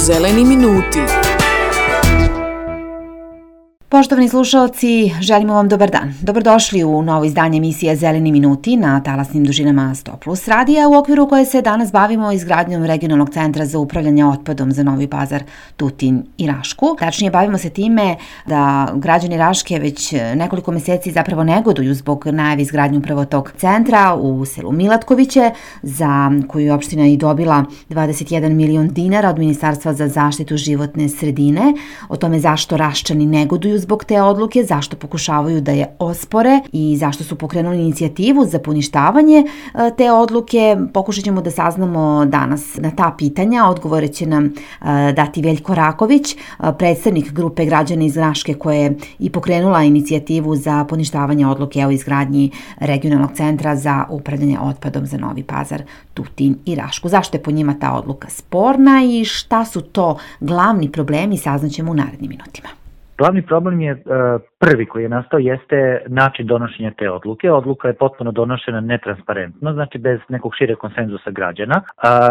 Zeleni minuti. Poštovani slušaoci, želimo vam dobar dan. Dobrodošli u novo izdanje emisije Zeleni minuti na talasnim dužinama 100+ radija, u okviru koje se danas bavimo izgradnjom regionalnog centra za upravljanje otpadom za Novi Pazar, Tutin i Rašku. Tačnije, bavimo se time da građani Raške već nekoliko meseci zapravo negoduju zbog najave izgradnje upravo tog centra u selu Milatkoviće, za koju je opština i dobila 21 milion dinara od Ministarstva za zaštitu životne sredine. O tome zašto Raščani negoduju zbog te odluke, zašto pokušavaju da je ospore i zašto su pokrenuli inicijativu za poništavanje te odluke. Pokušat ćemo da saznamo danas na ta pitanja. Odgovore će nam dati Veljko Raković, predstavnik grupe građana iz Raške koja je i pokrenula inicijativu za poništavanje odluke o izgradnji regionalnog centra za upravljanje otpadom za Novi Pazar, Tutin i Rašku. Zašto je po njima ta odluka sporna i šta su to glavni problemi, saznaćemo u narednim minutima. Glavni problem je prvi koji je nastao jeste način donošenja te odluke. Odluka je potpuno donošena netransparentno, znači bez nekog šireg konsenzusa građana.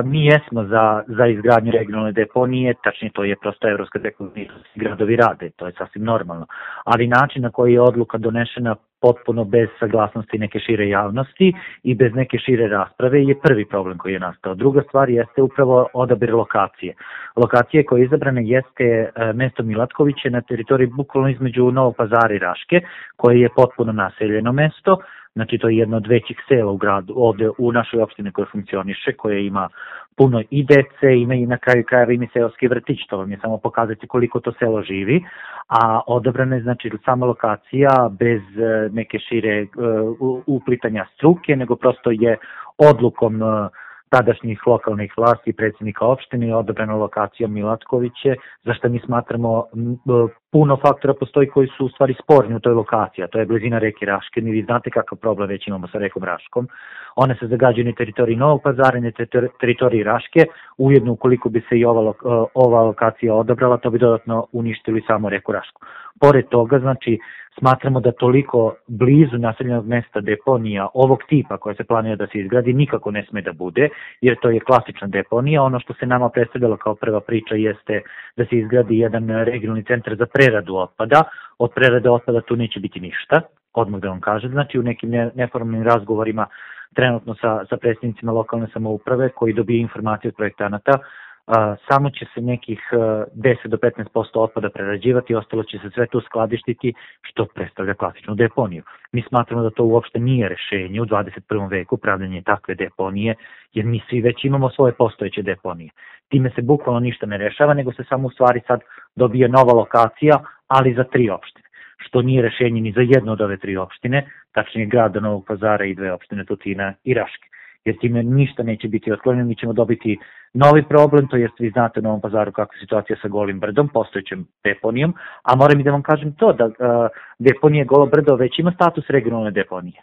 Mi jesmo za izgradnju regionalne deponije, tačnije to je prosto evropska deponija, gradovi rade, to je sasvim normalno. Ali način na koji je odluka donešena potpuno bez saglasnosti neke šire javnosti i bez neke šire rasprave je prvi problem koji je nastao. Druga stvar jeste upravo odabir lokacije. Lokacija koja je izabrana jeste mesto Milatkoviće na teritoriji bukvalno između Novog Pazara i Raške, koje je potpuno naseljeno mesto. Znači to je jedno od većih sela u gradu, ovde u našoj opštini koja funkcioniše, koja ima puno i dece, ima i na kraju krajeva ima seoski vrtić, to vam je samo pokazati koliko to selo živi, a odabrana je znači sama lokacija bez neke šire uplitanja struke, nego prosto je odlukom tadašnjih lokalnih vlasti i predsjednika opštine odabrana lokacija Milatkoviće, za što mi smatramo puno faktora postoji koji su u stvari sporni u toj lokaciji, a to je blizina reke Raške. Vi znate kakav problem već imamo sa rekom Raškom. One se zagađaju na teritoriji Novog Pazara i na teritoriji Raške. Ujedno, ukoliko bi se i ova lokacija odabrala, to bi dodatno uništili samo reku Rašku. Pored toga, znači, smatramo da toliko blizu naseljenog mesta deponija ovog tipa koja se planira da se izgradi nikako ne sme da bude, jer to je klasična deponija. Ono što se nama predstavljalo kao prva priča jeste da se izgradi jedan regionalni centar za preradu otpada. Od prerade otpada tu neće biti ništa, odmah da vam kažem. Znači u nekim neformalnim razgovorima trenutno sa predstavnicima lokalne samouprave koji dobiju informacije od projektanata, samo će se nekih 10 do 15% otpada prerađivati, ostalo će se sve tu skladištiti, što predstavlja klasičnu deponiju. Mi smatramo da to uopšte nije rešenje u 21. veku pravljanje takve deponije, jer mi svi već imamo svoje postojeće deponije. Time se bukvalno ništa ne rešava, nego se samo u stvari sad dobije nova lokacija, ali za 3 opštine, što nije rešenje ni za jednu od ove 3 opštine, tačnije grada Novog Pazara i 2 opštine Tutina i Raške. Jer time ništa neće biti otklonjeno, mi ćemo dobiti novi problem, to jest vi znate u Novom Pazaru kakva je situacija sa Golim brdom, postojećem deponijom, a moram i da vam kažem to da deponija Golo brdo već ima status regionalne deponije.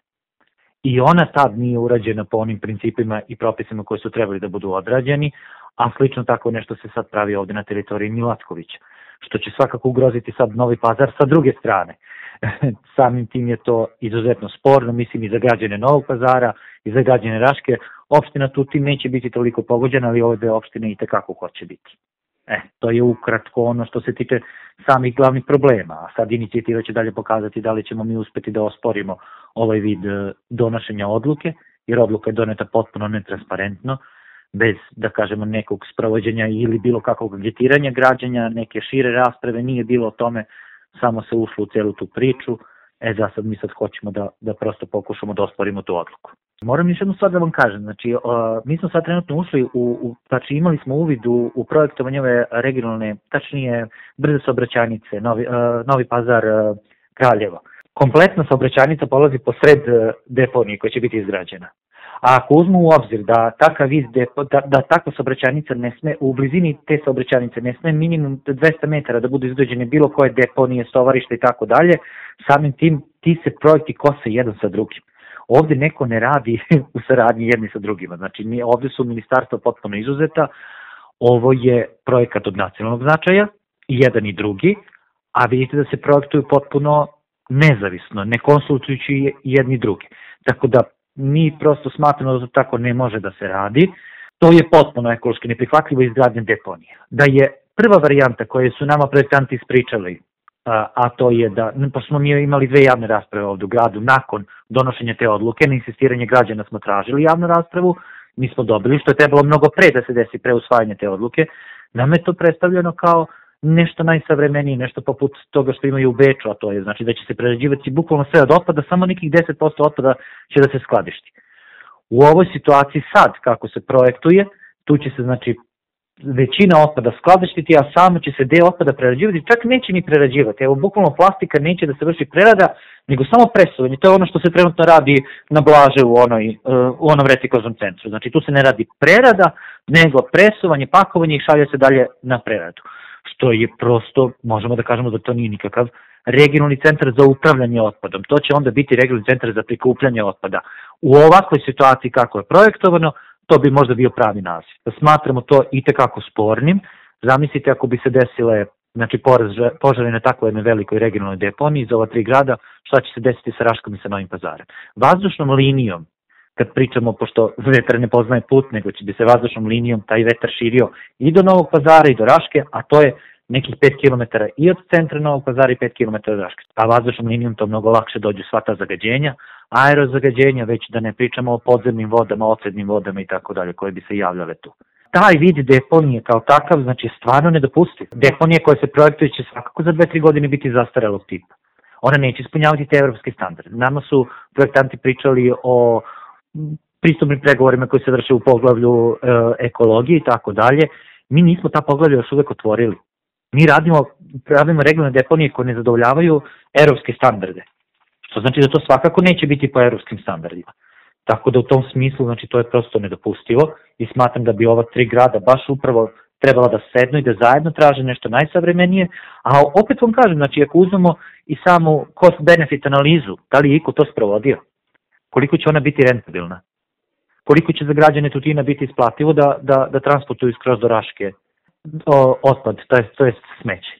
I ona tad nije urađena po onim principima i propisima koji su trebali da budu odrađeni, a slično tako nešto se sad pravi ovde na teritoriji Milatkovića, što će svakako ugroziti sad Novi Pazar sa druge strane. Samim tim je to izuzetno sporno, mislim i za građane Novog Pazara i za građane Raške. Opština Tutin neće biti toliko pogođena, ali ove 2 opštine i tekako hoće biti. To je ukratko ono što se tiče samih glavnih problema, a sad inicijativa će dalje pokazati da li ćemo mi uspeti da osporimo ovaj vid donošenja odluke, jer odluka je doneta potpuno netransparentno, bez, da kažemo, nekog sprovođenja ili bilo kakvog agitiranja građanja, neke šire rasprave, nije bilo o tome, samo se ušlo u celu tu priču. Za sad mi sad hoćemo da prosto pokušamo da osporimo tu odluku. Moram još jednu stvar da vam kažem, znači mi smo sad trenutno ušli znači imali smo uvid u projektovanje ove regionalne, tačnije brze saobraćajnice, Novi Pazar, Kraljevo. Kompletna saobraćajnica polazi posred deponije koja će biti izgrađena. A ako uzmu u obzir da takva saobraćajnica ne sme, u blizini te saobraćajnice ne sme minimum 200 metara da budu izgrađene bilo koje deponije, stovarište i tako dalje, samim tim ti se projekti kose jedan sa drugim. Ovde neko ne radi u saradnji jedni sa drugima, znači ovde su ministarstva potpuno izuzeta, ovo je projekat od nacionalnog značaja, i jedan i drugi, a vidite da se projektuju potpuno nezavisno, ne konsultujući jedni drugi. Tako da mi prosto smatramo da to tako ne može da se radi. To je potpuno ekološki neprihvatljivo izgradnje deponije. Da je prva varijanta koju su nama projektanti ispričali, a to je da, pošto smo mi imali 2 javne rasprave ovdje u gradu, nakon donošenja te odluke, na insistiranje građana smo tražili javnu raspravu, mi smo dobili, što je trebalo mnogo pre da se desi pre usvajanja te odluke, nam je to predstavljeno kao nešto najsavremenije, nešto poput toga što imaju u Beču, a to je znači da će se prerađivati bukvalno sve od otpada, samo nekih 10% otpada će da se skladišti. U ovoj situaciji sad, kako se projektuje, tu će se znači većina otpada skladištiti, a samo će se deo otpada prerađivati, čak neće ni prerađivati. Evo, bukvalno plastika neće da se vrši prerada, nego samo presovanje. To je ono što se trenutno radi na Blaže u onom reciklažnom centru. Znači, tu se ne radi prerada, nego presovanje, pakovanje i šalje se dalje na preradu. Što je prosto, možemo da kažemo da to nije nikakav regionalni centar za upravljanje otpadom. To će onda biti regionalni centar za prikupljanje otpada. U ovakvoj situaciji kako je projektovano, to bi možda bio pravi naziv. Smatramo to itekako spornim. Zamislite ako bi se desile požari na takvoj jednoj velikoj regionalnoj deponiji za ova 3 grada, šta će se desiti sa Raškom i sa Novim Pazarem. Vazdušnom linijom, kad pričamo, pošto vetar ne poznaje put, nego će bi se vazdušnom linijom taj vetar širio i do Novog Pazara i do Raške, a to je nekih 5 km i od centra Novog Pazara i 5 km od Raške. A vazdušnom linijom to mnogo lakše dođu sva ta zagađenja, aerozagađenja, već da ne pričamo o podzemnim vodama, ocednim vodama i tako dalje, koje bi se javljale tu. Taj vid deponije kao takav, znači, stvarno nedopustiv. Deponije koje se projektuju će svakako za 2-3 godine biti zastarelog tipa. Ona neće ispunjavati te evropske standarde. Nama su projektanti pričali o pristupnim pregovorima koji se vrše u poglavlju ekologije i tako dalje. Mi nismo ta poglavlja još uvek otvorili. Mi radimo regionalne deponije koje ne zadovoljavaju evropske standarde. Što znači da to svakako neće biti po evropskim standardima. Tako da u tom smislu, znači, to je prosto nedopustivo i smatram da bi ova 3 grada baš upravo trebala da sednu i da zajedno traže nešto najsavremenije, a opet vam kažem, znači, ako uzmemo i samu cost-benefit analizu, da li je iko to sprovodio, koliko će ona biti rentabilna, koliko će za građane Tutina biti isplativo da transportuju skroz do Raške otpad, to je smeće.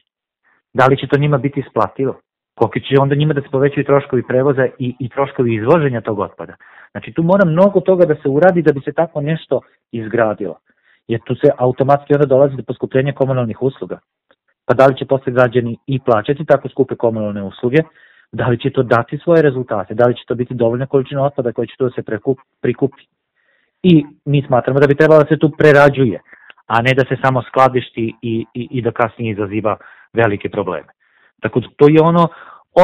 Da li će to njima biti isplativo? Koliko će onda njima da se povećaju troškovi prevoza i troškovi izvoženja tog otpada. Znači, tu mora mnogo toga da se uradi da bi se tako nešto izgradilo. Jer tu se automatski onda dolazi do poskupljenja komunalnih usluga. Pa da li će posle građani i plaćati tako skupe komunalne usluge, da li će to dati svoje rezultate, da li će to biti dovoljna količina otpada koja će tu da se prikupi. I mi smatramo da bi trebalo da se tu prerađuje, a ne da se samo skladišti i da kasnije izaziva velike probleme. Tako da to je ono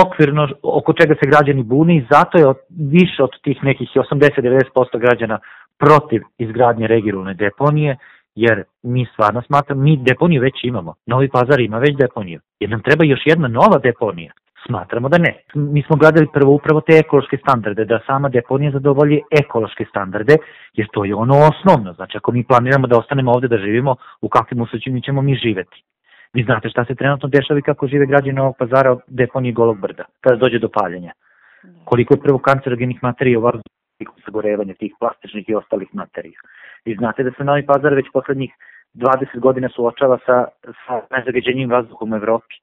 okvirno oko čega se građani bune i zato je više od tih nekih 80-90% građana protiv izgradnje regionalne deponije, jer mi stvarno smatramo, mi deponiju već imamo, Novi Pazar ima već deponiju, jer nam treba još jedna nova deponija. Smatramo da ne. Mi smo gledali prvo upravo te ekološke standarde, da sama deponija zadovolji ekološke standarde, jer to je ono osnovno. Znači, ako mi planiramo da ostanemo ovde da živimo, u kakvim uslovima ćemo mi živeti. Vi znate šta se trenutno dešava i kako žive građani Novog Pazara od deponije Golog brda, kada dođe do paljenja. Koliko je prvo kancerogenih materija u vazduhu, sagorevanja tih plastičnih i ostalih materija. Vi znate da se Novi Pazar već poslednjih 20 godina suočava sa nezagađenjim vazduhom u Evropi.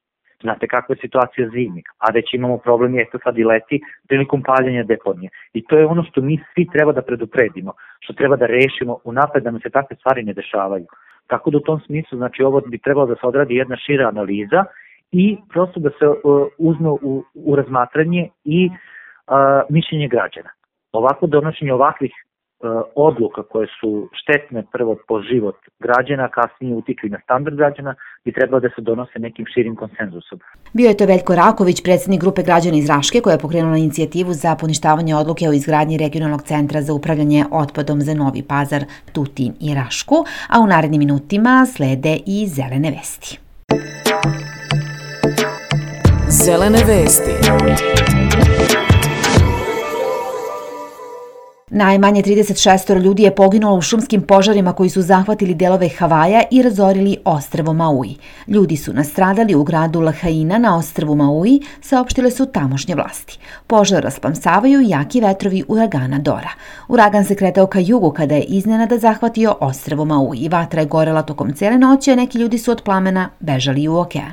Znate kakva je situacija zimi, a već imamo problem je sad i leti prilikom paljenja deponije. I to je ono što mi svi treba da predupredimo, što treba da rešimo unapred da nam se takve stvari ne dešavaju. Tako da u tom smislu, znači, ovo bi trebalo da se odradi jedna šira analiza i prosto da se uzme u razmatranje i mišljenje građana. Ovako donošenje ovakvih odluka koje su štetne prvo po život građana, kasnije utiču i na standard građana, bi trebalo da se donose nekim širim konsenzusom. Bio je to Veljko Raković, predsjednik grupe građana iz Raške, koja je pokrenula inicijativu za poništavanje odluke o izgradnji regionalnog centra za upravljanje otpadom za Novi Pazar, Tutin i Rašku, a u narednim minutima slede i zelene vesti. Zelene vesti. Najmanje 36 ljudi je poginulo u šumskim požarima koji su zahvatili delove Havaja i razorili ostrvo Maui. Ljudi su nastradali u gradu Lahaina na ostrvu Maui, saopštile su tamošnje vlasti. Požar rasplamsavaju jaki vetrovi uragana Dora. Uragan se kretao ka jugu kada je iznenada zahvatio ostrvo Maui. Vatra je gorela tokom cele noći, a neki ljudi su od plamena bežali u okean.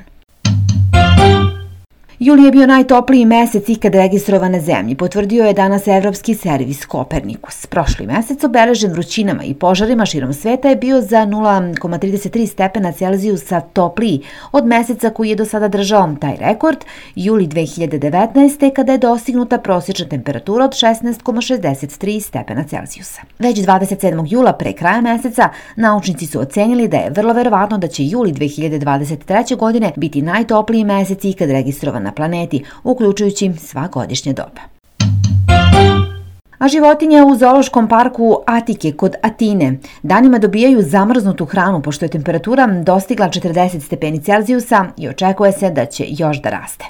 Juli je bio najtopliji mesec ikad registrovan na zemlji, potvrdio je danas evropski servis Kopernikus. Prošli mesec obeležen vrućinama i požarima širom sveta je bio za 0,33 stepena Celzijusa topliji od meseca koji je do sada držao taj rekord, juli 2019. kada je dostignuta prosječna temperatura od 16,63 stepena Celzijusa. Već 27. jula pre kraja meseca naučnici su ocenili da je vrlo verovatno da će juli 2023. godine biti najtopliji mesec ikad registrovan na planeti, uključujući sva godišnja doba. A životinje u zoološkom parku Atike kod Atine danima dobijaju zamrznutu hranu pošto je temperatura dostigla 40 stepeni Celzijusa i očekuje se da će još da raste.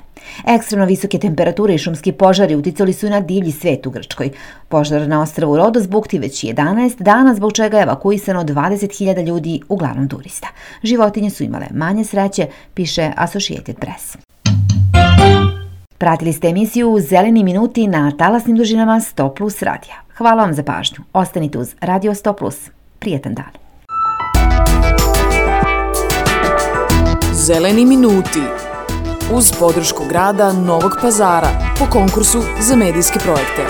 Ekstremno visoke temperature i šumski požari uticali su i na divlji svet u Grčkoj. Požar na ostrvu Rodos bukti već 11 dana, zbog čega je evakuisano 20.000 ljudi, uglavnom turista. Životinje su imale manje sreće, piše Associated Press. Pratili ste emisiju Zeleni minuti na talasnim dužinama 100+ radija. Hvala vam za pažnju. Ostanite uz Radio 100+. Prijetan dan. Zeleni minuti uz podršku grada Novog Pazara po konkursu za medijske projekte.